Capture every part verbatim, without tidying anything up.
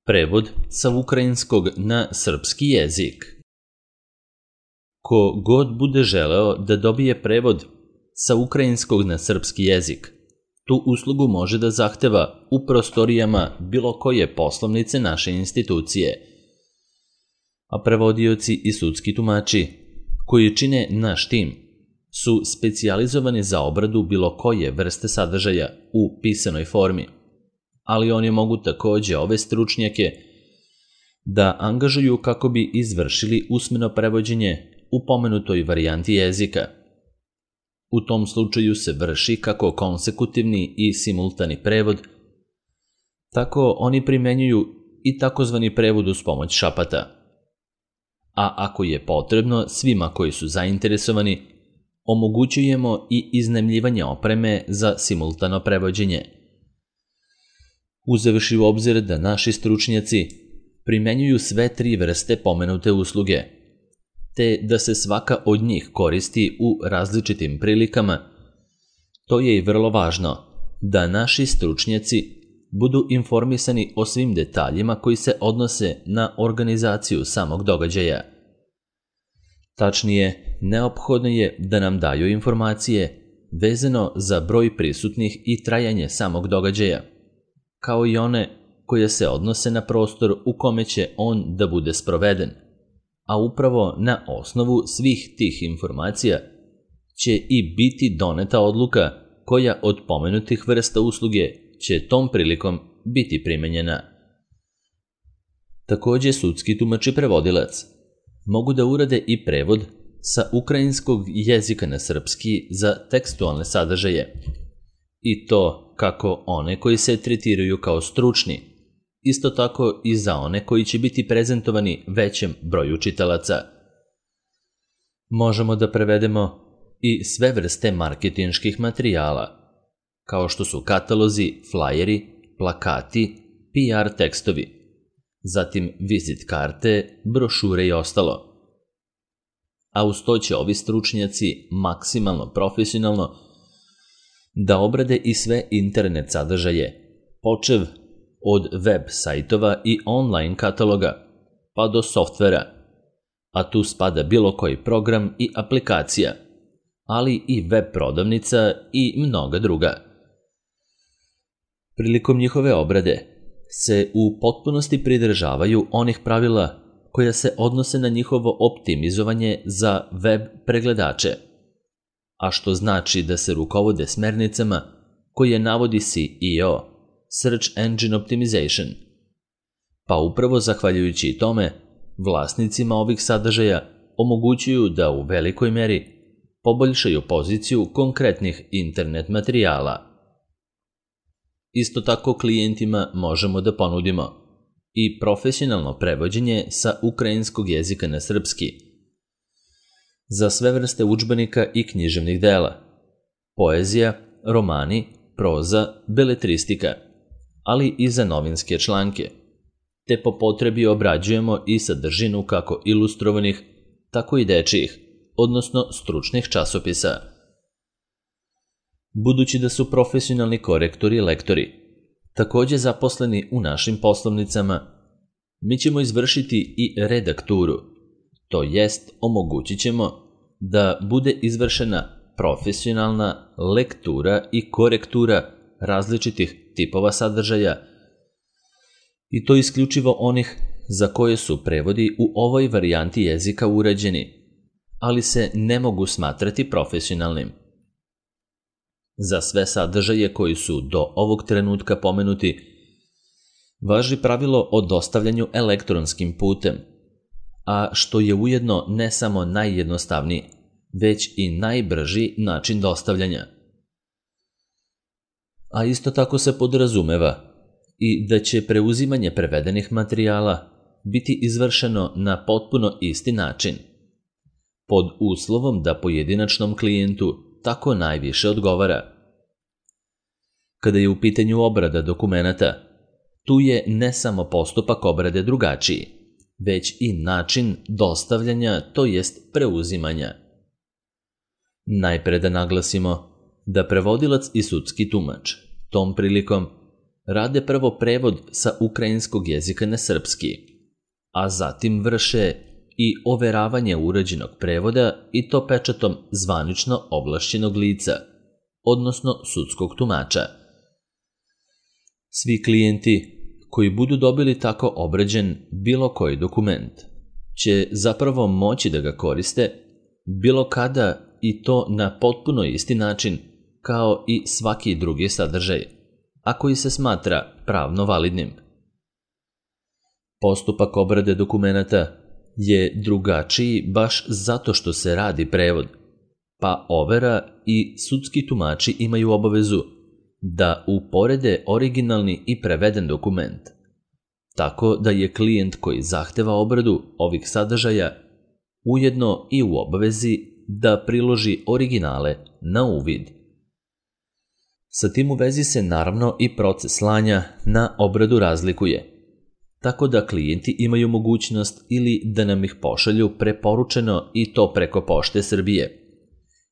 Prevod sa ukrajinskog na srpski jezik. Ko god bude želeo da dobije prevod sa ukrajinskog na srpski jezik, tu uslugu može da zahteva u prostorijama bilo koje poslovnice naše institucije. A prevodioci i sudski tumači, koji čine naš tim, su specijalizovani za obradu bilo koje vrste sadržaja u pisanoj formi, ali oni mogu takođe ove stručnjake da angažuju kako bi izvršili usmeno prevođenje u pomenutoj varijanti jezika. U tom slučaju se vrši kako konsekutivni i simultani prevod, tako oni primenjuju i takozvani prevod uz pomoć šapata. A ako je potrebno svima koji su zainteresovani, omogućujemo i iznajmljivanje opreme za simultano prevođenje. Uzevši u obzir da naši stručnjaci primenjuju sve tri vrste pomenute usluge, te da se svaka od njih koristi u različitim prilikama, to je i vrlo važno da naši stručnjaci budu informisani o svim detaljima koji se odnose na organizaciju samog događaja. Tačnije, neophodno je da nam daju informacije vezano za broj prisutnih i trajanje samog događaja, kao i one koje se odnose na prostor u kome će on da bude sproveden, a upravo na osnovu svih tih informacija će i biti doneta odluka koja od pomenutih vrsta usluge će tom prilikom biti primenjena. Takođe, sudski tumač i prevodilac mogu da urade i prevod sa ukrajinskog jezika na srpski za tekstualne sadržaje, i to kako one koji se tretiraju kao stručni, isto tako i za one koji će biti prezentovani većem broju čitalaca. Možemo da prevedemo i sve vrste marketinških materijala, kao što su katalozi, flajeri, plakati, P R tekstovi, zatim vizit karte, brošure i ostalo. A uz to će ovi stručnjaci maksimalno profesionalno da obrade i sve internet sadržaje, počev od web sajtova i online kataloga, pa do softvera, a tu spada bilo koji program i aplikacija, ali i web prodavnica i mnoga druga. Prilikom njihove obrade se u potpunosti pridržavaju onih pravila koja se odnose na njihovo optimizovanje za web pregledače, a što znači da se rukovode smernicama koje navodi S E O, Search Engine Optimization, pa upravo zahvaljujući tome vlasnicima ovih sadržaja omogućuju da u velikoj meri poboljšaju poziciju konkretnih internet materijala. Isto tako klijentima možemo da ponudimo i profesionalno prevođenje sa ukrajinskog jezika na srpski za sve vrste udžbenika i književnih dela, poezija, romani, proza, beletristika, ali i za novinske članke, te po potrebi obrađujemo i sadržinu kako ilustrovanih, tako i dečijih, odnosno stručnih časopisa. Budući da su profesionalni korektori i lektori takođe zaposleni u našim poslovnicama, mi ćemo izvršiti i redakturu, to jest omogućit ćemo da bude izvršena profesionalna lektura i korektura različitih tipova sadržaja, i to isključivo onih za koje su prevodi u ovoj varijanti jezika urađeni, ali se ne mogu smatrati profesionalnim. Za sve sadržaje koji su do ovog trenutka pomenuti, važi pravilo o dostavljanju elektronskim putem, a što je ujedno ne samo najjednostavniji, već i najbrži način dostavljanja. A isto tako se podrazumeva i da će preuzimanje prevedenih materijala biti izvršeno na potpuno isti način, pod uslovom da pojedinačnom klijentu tako najviše odgovara. Kada je u pitanju obrada dokumenata, tu je ne samo postupak obrade drugačiji, već i način dostavljanja, to jest preuzimanja. Najpre da naglasimo da prevodilac i sudski tumač tom prilikom rade prvo prevod sa ukrajinskog jezika na srpski, a zatim vrše i overavanje urađenog prevoda i to pečatom zvanično ovlašćenog lica, odnosno sudskog tumača. Svi klijenti koji budu dobili tako obrađen bilo koji dokument će zapravo moći da ga koriste bilo kada i to na potpuno isti način kao i svaki drugi sadržaj, a koji se smatra pravno validnim. Postupak obrade dokumenata je drugačiji baš zato što se radi prevod, pa overa i sudski tumači imaju obavezu da uporede originalni i preveden dokument, tako da je klijent koji zahteva obradu ovih sadržaja ujedno i u obavezi da priloži originale na uvid. Sa tim u vezi se naravno i proces slanja na obradu razlikuje, tako da klijenti imaju mogućnost ili da nam ih pošalju preporučeno i to preko Pošte Srbije,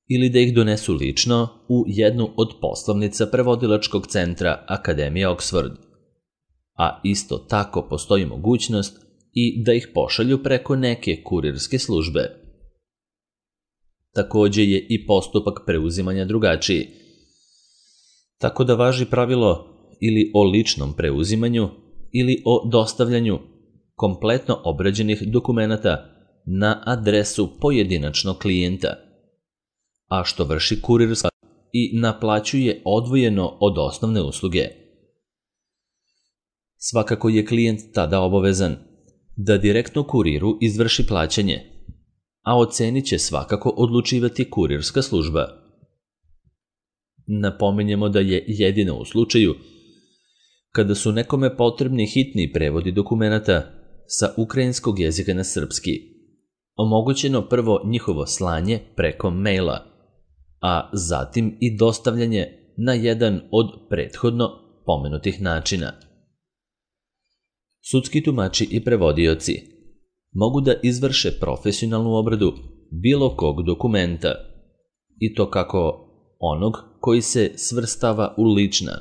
ili da ih donesu lično u jednu od poslovnica prevodilačkog centra Akademije Oxford. A isto tako postoji mogućnost i da ih pošalju preko neke kurirske službe. Takođe je i postupak preuzimanja drugačiji, tako da važi pravilo ili o ličnom preuzimanju ili o dostavljanju kompletno obrađenih dokumenata na adresu pojedinačnog klijenta, a što vrši kurirska i naplaćuje odvojeno od osnovne usluge. Svakako je klijent tada obavezan da direktno kuriru izvrši plaćanje, a o ceni će svakako odlučivati kurirska služba. Napominjemo da je jedino u slučaju kada su nekome potrebni hitni prevodi dokumenata sa ukrajinskog jezika na srpski, omogućeno prvo njihovo slanje preko maila, a zatim i dostavljanje na jedan od prethodno pomenutih načina. Sudski tumači i prevodioci mogu da izvrše profesionalnu obradu bilo kog dokumenta, i to kako onog koji se svrstava u lična,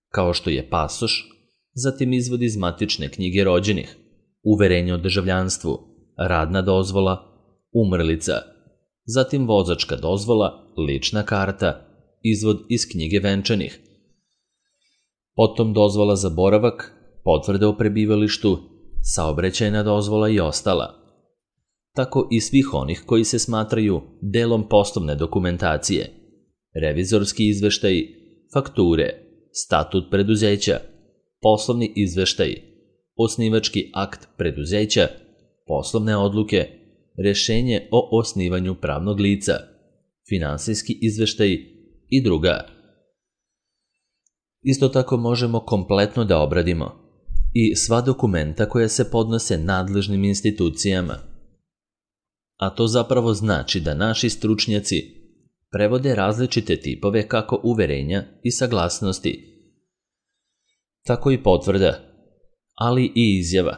kao što je pasoš, zatim izvod iz matične knjige rođenih, uverenje o državljanstvu, radna dozvola, umrlica, zatim vozačka dozvola, lična karta, izvod iz knjige venčanih, potom dozvola za boravak, potvrda o prebivalištu, saobraćajna dozvola i ostala. Tako i svih onih koji se smatraju delom poslovne dokumentacije, revizorski izveštaji, fakture, statut preduzeća, poslovni izveštaji, osnivački akt preduzeća, poslovne odluke, rešenje o osnivanju pravnog lica, finansijski izveštaji i druga. Isto tako možemo kompletno da obradimo i sva dokumenta koja se podnose nadležnim institucijama. A to zapravo znači da naši stručnjaci prevode različite tipove kako uverenja i saglasnosti, tako i potvrda, ali i izjava,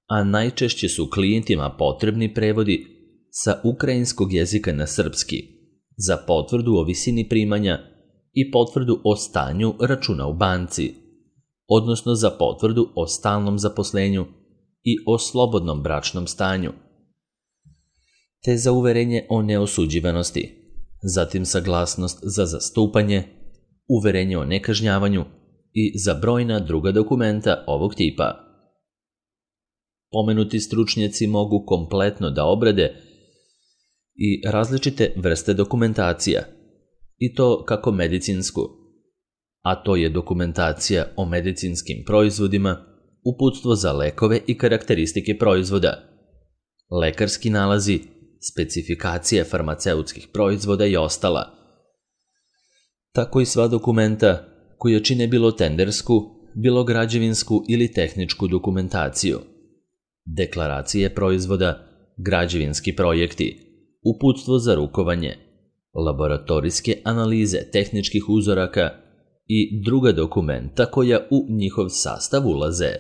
a najčešće su klijentima potrebni prevodi sa ukrajinskog jezika na srpski za potvrdu o visini primanja i potvrdu o stanju računa u banci, odnosno za potvrdu o stalnom zaposlenju i o slobodnom bračnom stanju, te za uverenje o neosuđivanosti, zatim saglasnost za zastupanje, uverenje o nekažnjavanju i za brojna druga dokumenta ovog tipa. Pomenuti stručnjaci mogu kompletno da obrade i različite vrste dokumentacija, i to kako medicinsku, a to je dokumentacija o medicinskim proizvodima, uputstvo za lekove i karakteristike proizvoda, lekarski nalazi, specifikacije farmaceutskih proizvoda i ostala. Tako i sva dokumenta koja čine bilo tendersku, bilo građevinsku ili tehničku dokumentaciju, deklaracije proizvoda, građevinski projekti, uputstvo za rukovanje, laboratorijske analize tehničkih uzoraka i druga dokumenta koja u njihov sastav ulaze.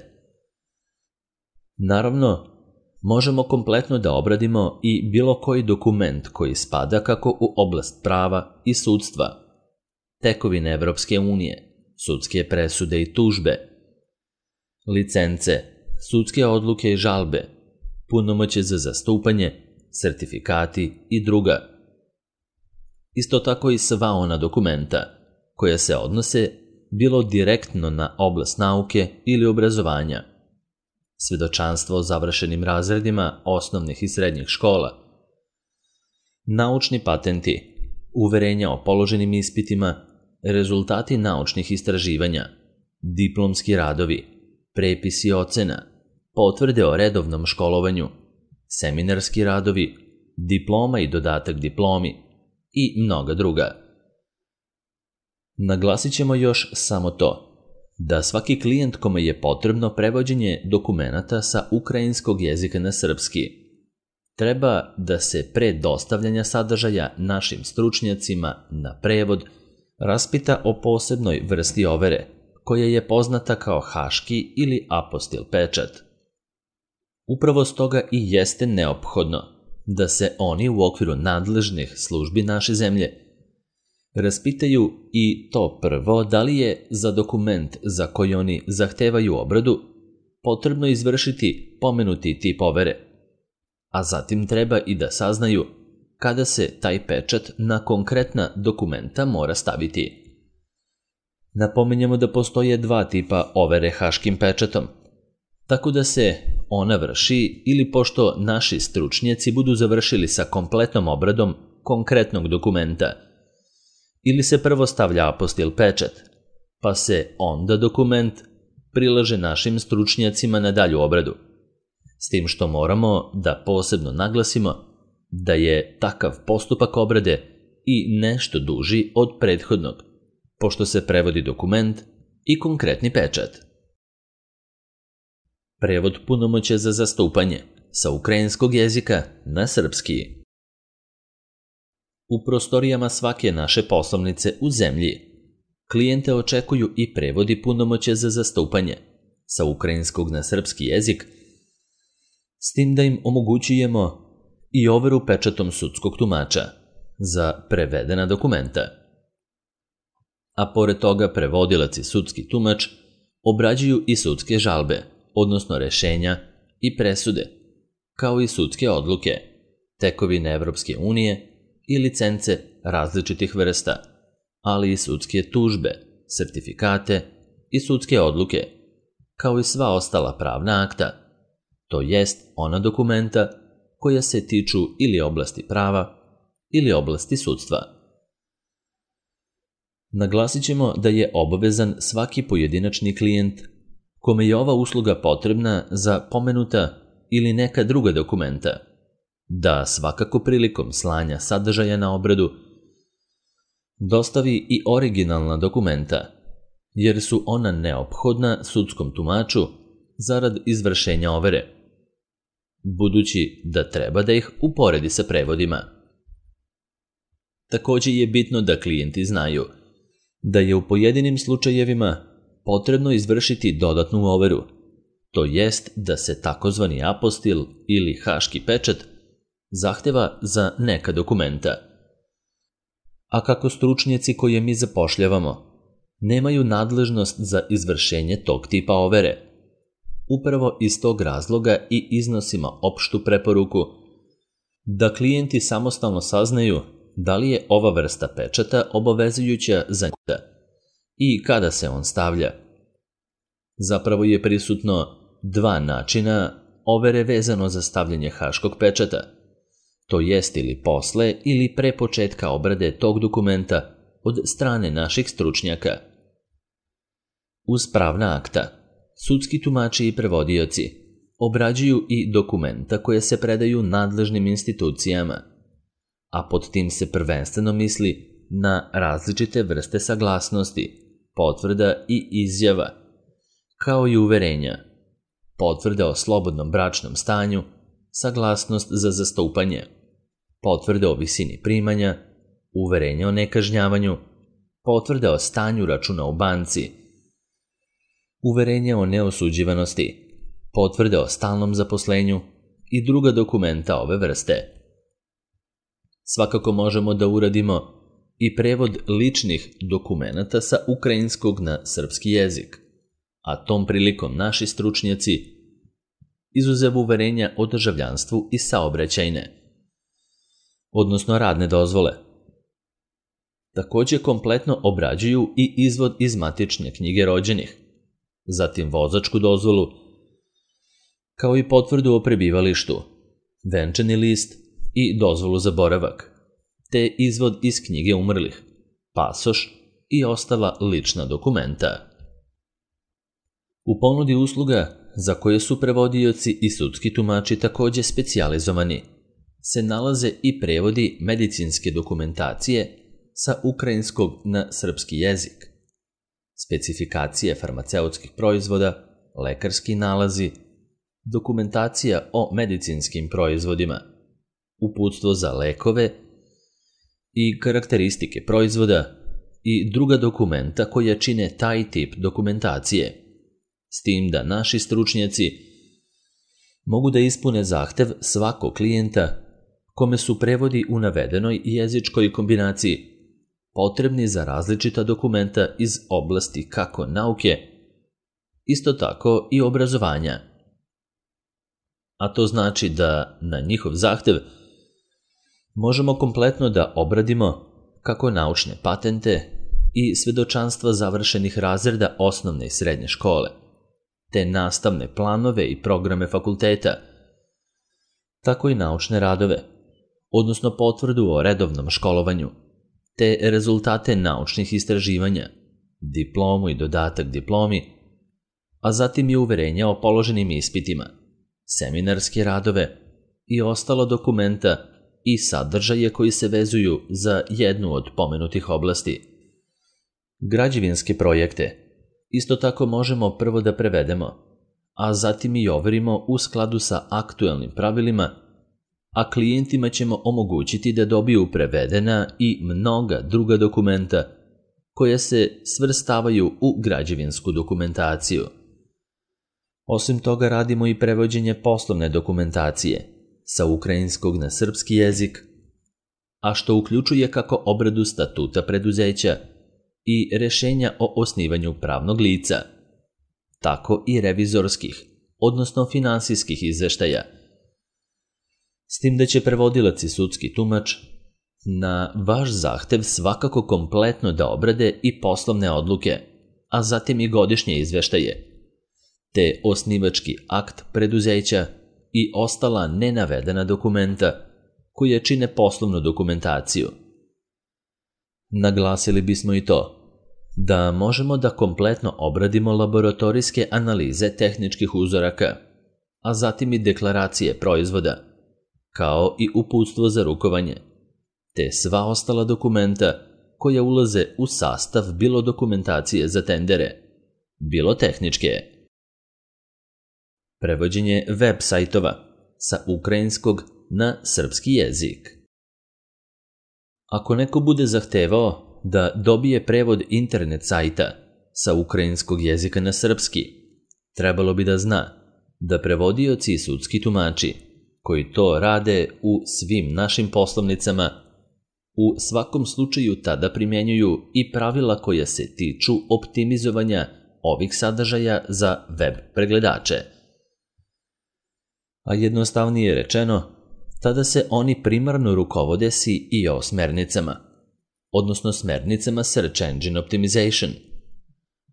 Naravno, možemo kompletno da obradimo i bilo koji dokument koji spada kako u oblast prava i sudstva, tekovine Evropske unije, sudske presude i tužbe, licence, sudske odluke i žalbe, punomoćje za zastupanje, sertifikati i druga. Isto tako i sva ona dokumenta koja se odnose bilo direktno na oblast nauke ili obrazovanja, svedočanstvo o završenim razredima osnovnih i srednjih škola, naučni patenti, uverenja o položenim ispitima, rezultati naučnih istraživanja, diplomski radovi, prepisi ocena, potvrde o redovnom školovanju, seminarski radovi, diploma i dodatak diplomi i mnoga druga. Naglasit ćemo još samo to, da svaki klijent kome je potrebno prevođenje dokumenata sa ukrajinskog jezika na srpski, treba da se pre dostavljanja sadržaja našim stručnjacima na prevod raspita o posebnoj vrsti overe, koja je poznata kao haški ili apostil pečat. Upravo stoga i jeste neophodno da se oni u okviru nadležnih službi naše zemlje raspitaju i to prvo da li je za dokument za koji oni zahtevaju obradu potrebno izvršiti pomenuti tip overe, a zatim treba i da saznaju kada se taj pečat na konkretna dokumenta mora staviti. Napominjemo da postoje dva tipa overe haškim pečatom, tako da se ona vrši ili pošto naši stručnjaci budu završili sa kompletnom obradom konkretnog dokumenta, ili se prvo stavlja apostil pečat, pa se onda dokument prilaže našim stručnjacima na dalju obradu. S tim što moramo da posebno naglasimo da je takav postupak obrade i nešto duži od prethodnog, pošto se prevodi dokument i konkretni pečat. Prevod punomoćja za zastupanje sa ukrajinskog jezika na srpski. U prostorijama svake naše poslovnice u zemlji klijente očekuju i prevodi punomoćja za zastupanje sa ukrajinskog na srpski jezik, s tim da im omogućujemo i overu pečatom sudskog tumača za prevedena dokumenta. A pored toga prevodilac i sudski tumač obrađuju i sudske žalbe, odnosno rešenja i presude, kao i sudske odluke, tekovine Evropske unije i licence različitih vrsta, ali i sudske tužbe, sertifikate i sudske odluke, kao i sva ostala pravna akta, to jest ona dokumenta koja se tiču ili oblasti prava ili oblasti sudstva. Naglasit ćemo da je obavezan svaki pojedinačni klijent kome je ova usluga potrebna za pomenuta ili neka druga dokumenta, da svakako prilikom slanja sadržaja na obradu dostavi i originalna dokumenta, jer su ona neophodna sudskom tumaču zarad izvršenja overe, budući da treba da ih uporedi sa prevodima. Također je bitno da klijenti znaju da je u pojedinim slučajevima potrebno izvršiti dodatnu overu, to jest da se takozvani apostil ili haški pečat zahteva za neka dokumenta. A kako stručnjaci koje mi zapošljavamo nemaju nadležnost za izvršenje tog tipa overe, upravo iz tog razloga i iznosimo opštu preporuku da klijenti samostalno saznaju da li je ova vrsta pečata obavezujuća za njih i kada se on stavlja. Zapravo je prisutno dva načina overe vezano za stavljanje haškog pečata, to jest ili posle ili pre početka obrade tog dokumenta od strane naših stručnjaka. Uz pravna akta, sudski tumači i prevodioci obrađuju i dokumenta koje se predaju nadležnim institucijama, a pod tim se prvenstveno misli na različite vrste saglasnosti, potvrda i izjava, kao i uverenja, potvrde o slobodnom bračnom stanju, saglasnost za zastupanje, potvrde o visini primanja, uverenje o nekažnjavanju, potvrde o stanju računa u banci, uverenje o neosuđivanosti, potvrde o stalnom zaposlenju i druga dokumenta ove vrste. Svakako možemo da uradimo i prevod ličnih dokumenata sa ukrajinskog na srpski jezik, a tom prilikom naši stručnjaci, izuzev uverenja o državljanstvu i saobraćajne, odnosno radne dozvole, takođe kompletno obrađuju i izvod iz matične knjige rođenih, zatim vozačku dozvolu, kao i potvrdu o prebivalištu, venčani list i dozvolu za boravak, te izvod iz knjige umrlih, pasoš i ostala lična dokumenta. U ponudi usluga, za koje su prevodioci i sudski tumači takođe specijalizovani, se nalaze i prevodi medicinske dokumentacije sa ukrajinskog na srpski jezik, specifikacije farmaceutskih proizvoda, lekarski nalazi, dokumentacija o medicinskim proizvodima, uputstvo za lekove i karakteristike proizvoda i druga dokumenta koja čine taj tip dokumentacije, s tim da naši stručnjaci mogu da ispune zahtev svakog klijenta kome su prevodi u navedenoj jezičkoj kombinaciji potrebni za različita dokumenta iz oblasti kako nauke, isto tako i obrazovanja. A to znači da na njihov zahtev možemo kompletno da obradimo kako naučne patente i svedočanstva završenih razreda osnovne i srednje škole, te nastavne planove i programe fakulteta, tako i naučne radove, odnosno potvrdu o redovnom školovanju, te rezultate naučnih istraživanja, diplomu i dodatak diplomi, a zatim i uverenja o položenim ispitima, seminarske radove i ostala dokumenta i sadržaje koji se vezuju za jednu od pomenutih oblasti. Građevinske projekte isto tako možemo prvo da prevedemo, a zatim i overimo u skladu sa aktuelnim pravilima, a klijentima ćemo omogućiti da dobiju prevedena i mnoga druga dokumenta koja se svrstavaju u građevinsku dokumentaciju. Osim toga radimo i prevođenje poslovne dokumentacije sa ukrajinskog na srpski jezik, a što uključuje kako obradu statuta preduzeća i rešenja o osnivanju pravnog lica, tako i revizorskih, odnosno finansijskih izveštaja, s tim da će prevodilac i sudski tumač na vaš zahtev svakako kompletno da obrade i poslovne odluke, a zatim i godišnje izveštaje, te osnivački akt preduzeća i ostala nenavedena dokumenta koje čine poslovnu dokumentaciju. Naglasili bismo i to da možemo da kompletno obradimo laboratorijske analize tehničkih uzoraka, a zatim i deklaracije proizvoda, kao i uputstvo za rukovanje, te sva ostala dokumenta koja ulaze u sastav bilo dokumentacije za tendere, bilo tehničke. Prevođenje web sajtova sa ukrajinskog na srpski jezik. Ako neko bude zahtevao da dobije prevod internet sajta sa ukrajinskog jezika na srpski, trebalo bi da zna da prevodioci i sudski tumači koji to rade u svim našim poslovnicama u svakom slučaju tada primjenjuju i pravila koja se tiču optimizovanja ovih sadržaja za web pregledače. A jednostavnije rečeno, tada se oni primarno rukovode S E O smernicama, odnosno smernicama Search Engine Optimization,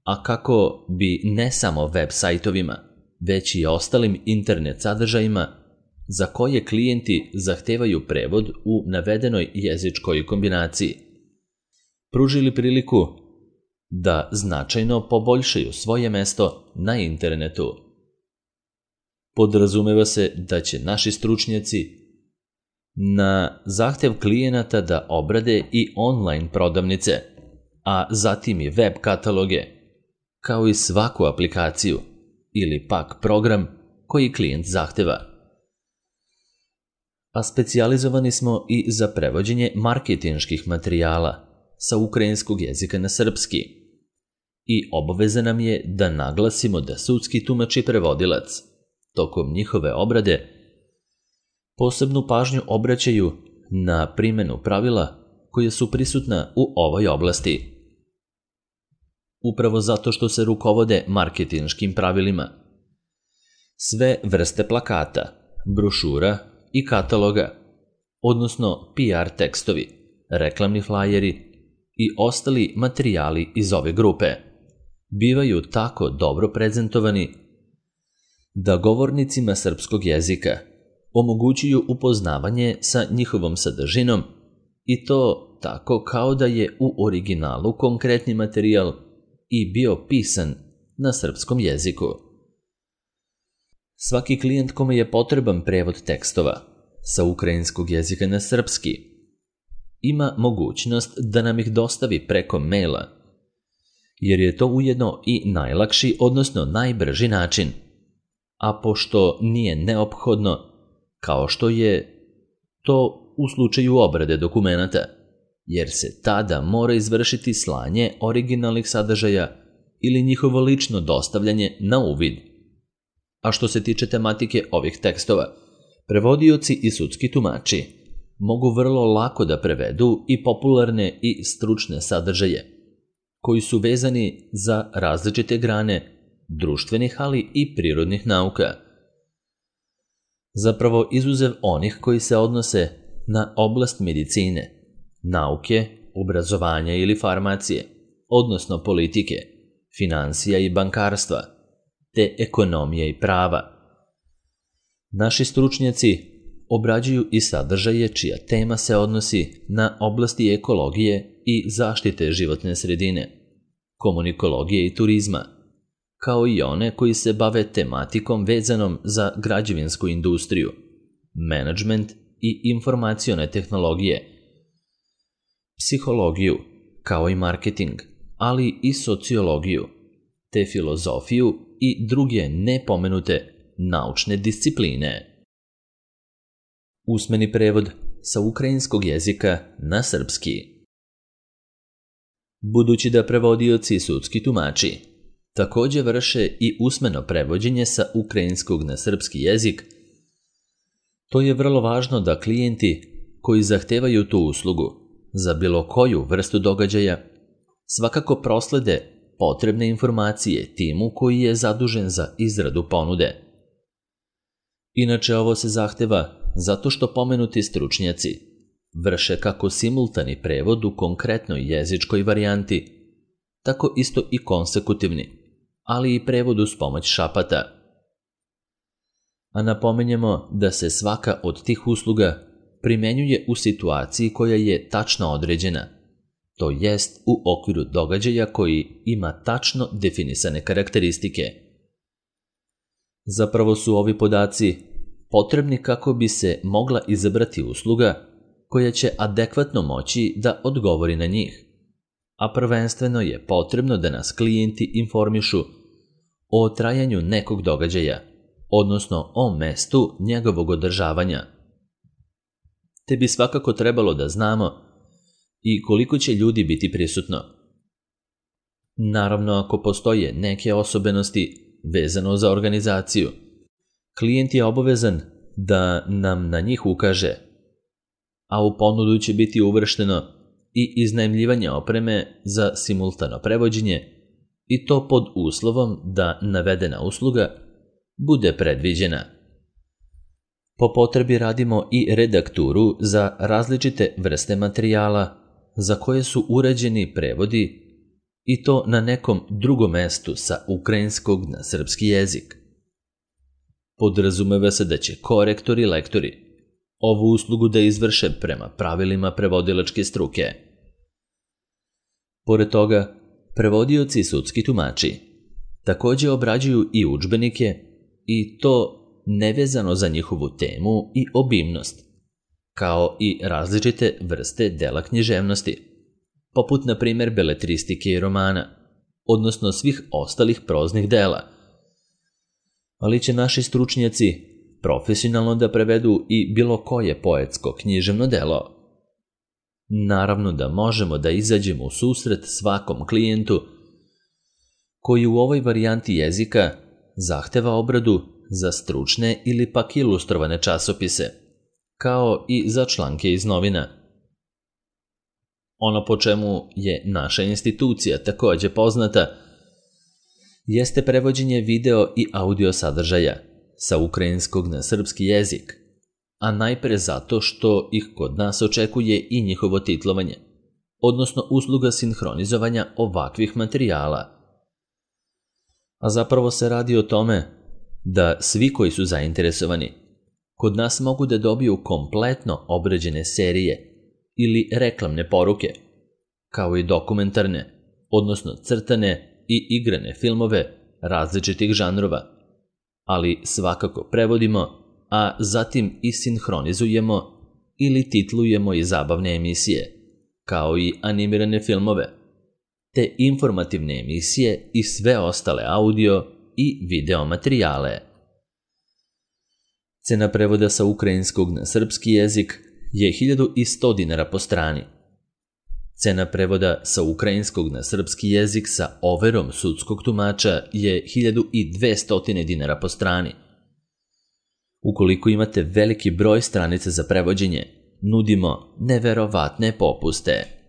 a kako bi ne samo web sajtovima, već i ostalim internet sadržajima za koje klijenti zahtevaju prevod u navedenoj jezičkoj kombinaciji, pružili priliku da značajno poboljšaju svoje mesto na internetu. Podrazumeva se da će naši stručnjaci na zahtev klijenata da obrade i online prodavnice, a zatim i web kataloge, kao i svaku aplikaciju ili pak program koji klijent zahteva. A specijalizovani smo i za prevođenje marketinških materijala sa ukrajinskog jezika na srpski i obaveza nam je da naglasimo da sudski tumač i prevodilac tokom njihove obrade posebnu pažnju obraćaju na primjenu pravila koje su prisutna u ovoj oblasti. Upravo zato što se rukovode marketinškim pravilima. Sve vrste plakata, brošura i kataloga, odnosno P R tekstovi, reklamni flajeri i ostali materijali iz ove grupe, bivaju tako dobro prezentovani da govornicima srpskog jezika omogućuju upoznavanje sa njihovom sadržinom i to tako kao da je u originalu konkretni materijal i bio pisan na srpskom jeziku. Svaki klijent kome je potreban prevod tekstova sa ukrajinskog jezika na srpski ima mogućnost da nam ih dostavi preko maila, jer je to ujedno i najlakši, odnosno najbrži način, a pošto nije neophodno, kao što je to u slučaju obrade dokumenata, jer se tada mora izvršiti slanje originalnih sadržaja ili njihovo lično dostavljanje na uvid. A što se tiče tematike ovih tekstova, prevodioci i sudski tumači mogu vrlo lako da prevedu i popularne i stručne sadržaje, koji su vezani za različite grane društvenih, ali i prirodnih nauka. Zapravo izuzev onih koji se odnose na oblast medicine, nauke, obrazovanja ili farmacije, odnosno politike, finansija i bankarstva, te ekonomije i prava. Naši stručnjaci obrađuju i sadržaje čija tema se odnosi na oblasti ekologije i zaštite životne sredine, komunikologije i turizma, kao i one koji se bave tematikom vezanom za građevinsku industriju, menadžment i informacione tehnologije, psihologiju, kao i marketing, ali i sociologiju, te filozofiju i druge nepomenute naučne discipline. Usmeni prevod sa ukrajinskog jezika na srpski. Budući da prevodioci i sudski tumači također vrše i usmeno prevođenje sa ukrajinskog na srpski jezik, to je vrlo važno da klijenti koji zahtevaju tu uslugu za bilo koju vrstu događaja svakako proslede potrebne informacije timu koji je zadužen za izradu ponude. Inače, ovo se zahteva zato što pomenuti stručnjaci vrše kako simultani prevod u konkretnoj jezičkoj varijanti, tako isto i konsekutivni, ali i prevod uz pomoć šapata. A napomenjemo da se svaka od tih usluga primenjuje u situaciji koja je tačno određena, to jest u okviru događaja koji ima tačno definisane karakteristike. Zapravo su ovi podaci potrebni kako bi se mogla izabrati usluga koja će adekvatno moći da odgovori na njih, a prvenstveno je potrebno da nas klijenti informišu o trajanju nekog događaja, odnosno o mestu njegovog održavanja. Te bi svakako trebalo da znamo i koliko će ljudi biti prisutno. Naravno, ako postoje neke osobenosti vezano za organizaciju, klijent je obavezan da nam na njih ukaže, a u ponudu će biti uvršteno i iznajmljivanje opreme za simultano prevođenje, i to pod uslovom da navedena usluga bude predviđena. Po potrebi radimo i redakturu za različite vrste materijala za koje su urađeni prevodi, i to na nekom drugom mestu sa ukrajinskog na srpski jezik. Podrazumeva se da će korektori i lektori ovu uslugu da izvrše prema pravilima prevodilačke struke. Pored toga, prevodioci i sudski tumači također obrađuju i udžbenike, i to nevezano za njihovu temu i obimnost, kao i različite vrste dela književnosti, poput na primjer beletristike i romana, odnosno svih ostalih proznih dela. Ali će naši stručnjaci profesionalno da prevedu i bilo koje poetsko književno delo. Naravno da možemo da izađemo u susret svakom klijentu koji u ovoj varijanti jezika zahteva obradu za stručne ili pak ilustrovane časopise, kao i za članke iz novina. Ono po čemu je naša institucija takođe poznata jeste prevođenje video i audio sadržaja sa ukrajinskog na srpski jezik, a najpre zato što ih kod nas očekuje i njihovo titlovanje, odnosno usluga sinhronizovanja ovakvih materijala. A zapravo se radi o tome da svi koji su zainteresovani kod nas mogu da dobiju kompletno obrađene serije ili reklamne poruke, kao i dokumentarne, odnosno crtane i igrane filmove različitih žanrova, ali svakako prevodimo, a zatim i sinhronizujemo ili titlujemo i zabavne emisije, kao i animirane filmove, te informativne emisije i sve ostale audio i video materijale. Cena prevoda sa ukrajinskog na srpski jezik je hiljadu sto dinara po strani. Cena prevoda sa ukrajinskog na srpski jezik sa overom sudskog tumača je hiljadu dvesta dinara po strani. Ukoliko imate veliki broj stranica za prevođenje, nudimo neverovatne popuste.